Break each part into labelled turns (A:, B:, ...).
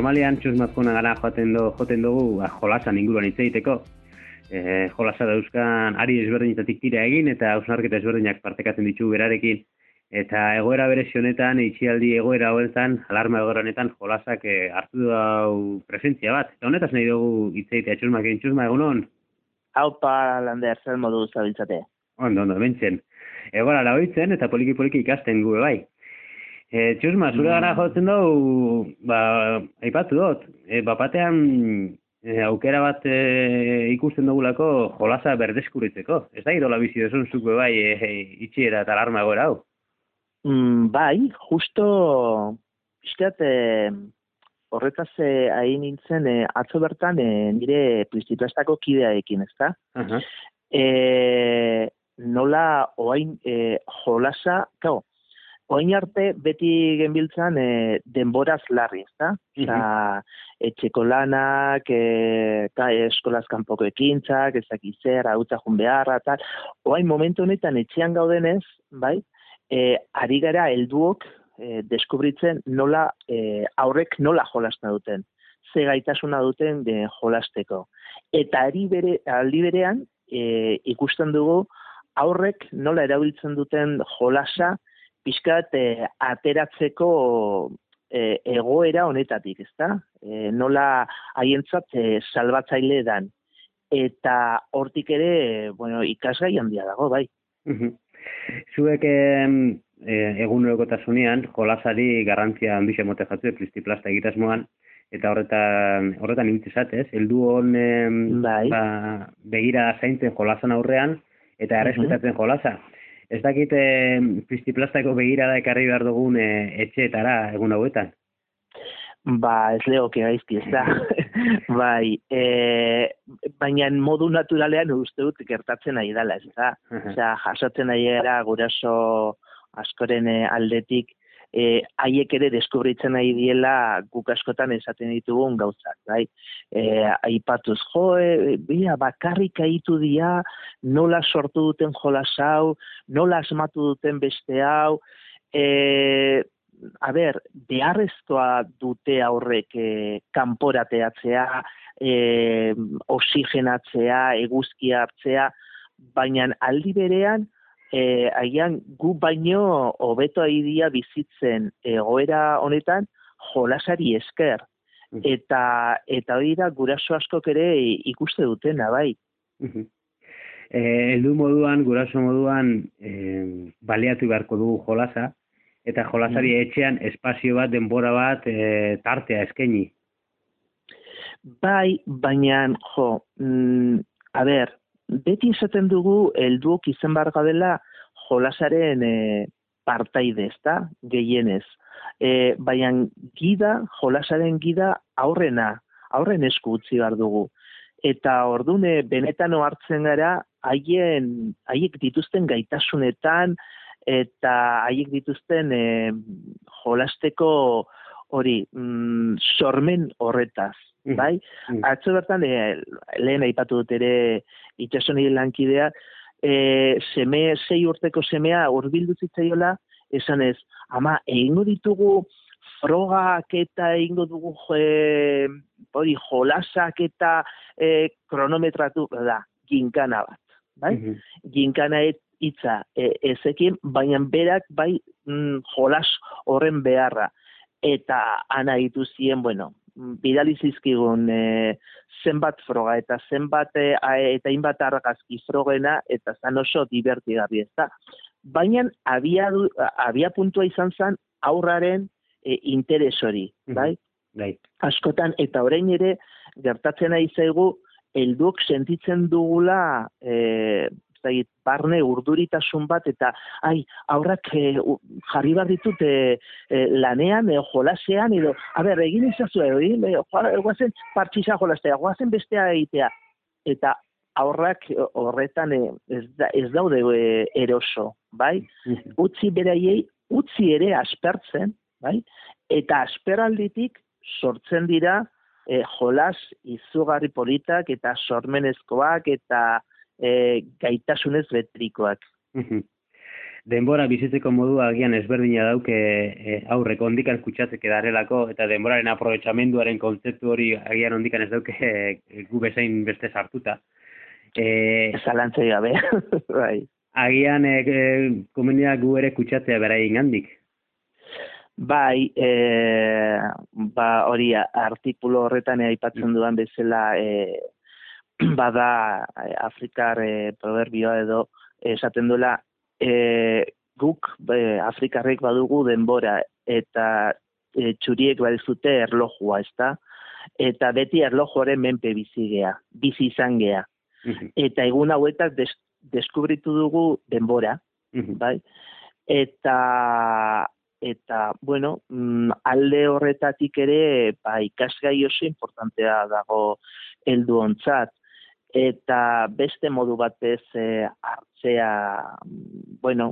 A: normalian txusmazkona gara joten dugu jolasan inguruan hitz egiteko. Jolasa dauzkan ari ezberdinetatik tira egin eta hausnarketa ezberdinak partekatzen ditugu berarekin. Eta egoera berezi honetan, itxialdi egoera honetan, alarma egoera honetan jolasak hartu dau presentzia bat. Eta honetaz nahi dugu hitz egitea txusmakin. Txusma, egunon?
B: Haupa, Lander, zer modu zabiltzate?
A: Ondo, bentzen. Egoera lagoitzen eta poliki ikasten gube bai. Txusma, zure gara jotzen dugu, aipatu dut, batean aukera bat ikusten dugulako jolasa berdeskuritzeko. Ez da idola bizi duzun zuke bai itxiera eta alarma egoera hau?
B: Bai, justo, izteat, horretaz ari nintzen, atzo bertan nire Pristiplastako kideaekin, ezta? Nola oain jolasa, oain arte beti genbiltzan denboraz larri, ezta? Osa, etxeko lanak, eskolaz kanpoko ekintzak, ezak zer, hautza jun beharra, tal. Oain momentu honetan etxean gaudenez, bai, ari gara helduok deskubritzen nola aurrek nola jolasta duten, ze gaitasuna duten jolasteko. Eta aldi berean ikusten dugu aurrek nola erabiltzen duten jolasa pixkat ateratzeko egoera honetatik, ezta? Nola haientzat salbatzaile dan. Eta hortik ere, ikasgai handia dago, bai.
A: Zuek egunerokotasunean jolasari garrantzia handixe mote jatzu Pristiplasta egitasmoan, eta horretan ibiltzezat, ez? Heldu hon begira zaintzen jolasan aurrean, eta errespetatzen jolasa. Ez dakit Pristiplastako begirada ekarri behar dugun etxeetara egun hauetan?
B: Ez legoke gaizki, ez da. Bai, baina modu naturalean uste dut gertatzen ari dela, ez da. Osea, jasotzen ari gara guraso askoren aldetik, haiek ere deskubritzen ari diela guk askotan esaten ditugun gauzak, bai. Aipatuz, bakarrik aitu dia, nola sortu duten jolas hau, nola asmatu duten beste hau, beharrezkoa dute aurrek kanporateatzea, oxigenatzea, eguzkia hartzea, baina aldi berean, agian gu baino hobeto aidia bizitzen egoera honetan jolasari esker. Eta hori da guraso askok ere ikuste dutena, bai.
A: Heldu moduan, guraso moduan baliatu beharko dugu jolasa, eta jolasari etxean espazio bat, denbora bat, tartea eskaini.
B: Bai, baina, beti esaten dugu helduok izan behar gadela jolasaren partaide, ezta, gehienez. Baina jolasaren gida aurren esku utzi behar dugu. Eta orduan benetan hartzen gara haiek dituzten gaitasunetan, eta haiek dituzten jolasteko hori sormen horretaz, bai? Atzo bertan, lehen aipatu dut ere itxaso nire lankidea, 6 urteko semea hurbildu zitzaiola, esanez, ama, egingo ditugu frogak eta egingo dugu jolasak eta kronometratu, ginkana bat, bai? Ginkana hitza ezekin, baina berak bai jolas horren beharra. Eta ana dituzien, bidali zizkigun zenbat froga eta zenbat eta inbat argazki frogena eta zan oso divertigarri, ez da. Baina abia puntua izan zen aurraren interes hori, bai? Askotan, eta orain ere gertatzen ari zaigu, helduk sentitzen dugula barne urduritasun bat, eta aurrak jarri behar ditut lanean, jolasean, edo, egin izazu, guazen partxiza jolastea, guazen bestea egitea, eta aurrak horretan ez daude eroso, bai? Utzi beraiei, utzi ere aspertzen, bai? Eta asperalditik sortzen dira jolas izugarri politak eta sormenezkoak eta gaitasunez betrikoak.
A: denbora bizitzeko modu agian ezberdina dauke aurreko ondikan kutsatzeke darelako, eta denboraren aprobetxamenduaren kontzeptu hori agian ondikan ez dauke gu bezain beste sartuta.
B: Zalantzei gabe, bai.
A: Agian komenia gu ere kutsatzea beraien gandik.
B: Bai, hori artikulu horretan aipatzen dudan bezala bada Afrikar proverbioa edo esaten duela guk Afrikarrek badugu denbora eta txuriek badizute erlojua, ezta? Eta beti erlojuaren menpe bizi izan gea. Eta egun hauetan deskubritu dugu denbora, bai? Eta bueno, alde horretatik ere ikasgai oso importantea dago helduontzat. Eta beste modu batez hartzea, bueno,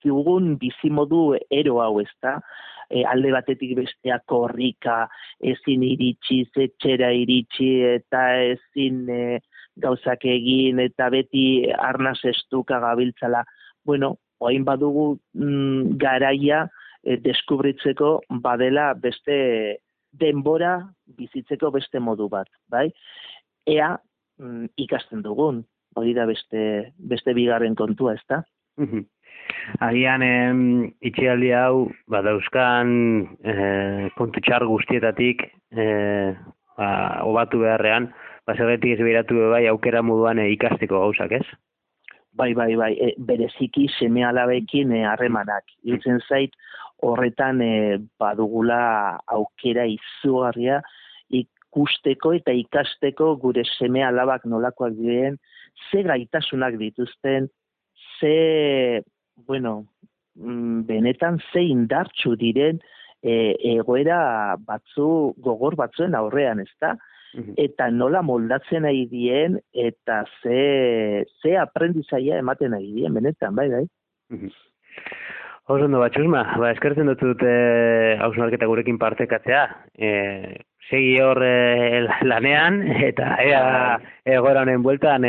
B: dugun bizimodu ero hau, ezta? Alde batetik bestea korrika, ezin iritsi, etxera iritsi, eta ezin gauzak egin, eta beti arnaz estuka gabiltzala. Bueno, orain badugu garaia deskubritzeko badela beste denbora bizitzeko beste modu bat, bai? Ea ikasten dugun, hori da beste bigarren kontua, ezta?
A: Agian itxialdi hau badauzkan kontu txar guztietatik hobatu beharrean, zergatik ez behiratu bai aukera moduan ikasteko gauzak, ez?
B: Bai, bereziki seme-alabekin harremanak. Irutzen zait, horretan badugula aukera izugarria ikusteko eta ikasteko gure seme-alabak nolakoak diren, ze gaitasunak dituzten, benetan ze indartsu diren egoera gogor batzuen aurrean, ezta? Eta nola moldatzen nahi dien, eta ze aprendizaia ematen nahi dien, benetan, bai.
A: Oso ondo, Txusma, eskertzen dut hausnarketa gurekin partekatzea. Segi hor lanean, eta egoera honen bueltan,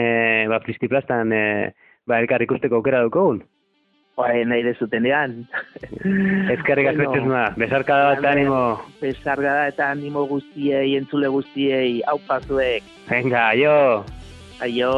A: plistiplastan, elkar ikusteko aukera dukogun.
B: Nahi dezutenean.
A: Ezkerrik asko, Txusma, besarkada bat animo.
B: Besarkada eta animo guztiei, entzule guztiei, aupa zuek.
A: Venga, aio.
B: Aio.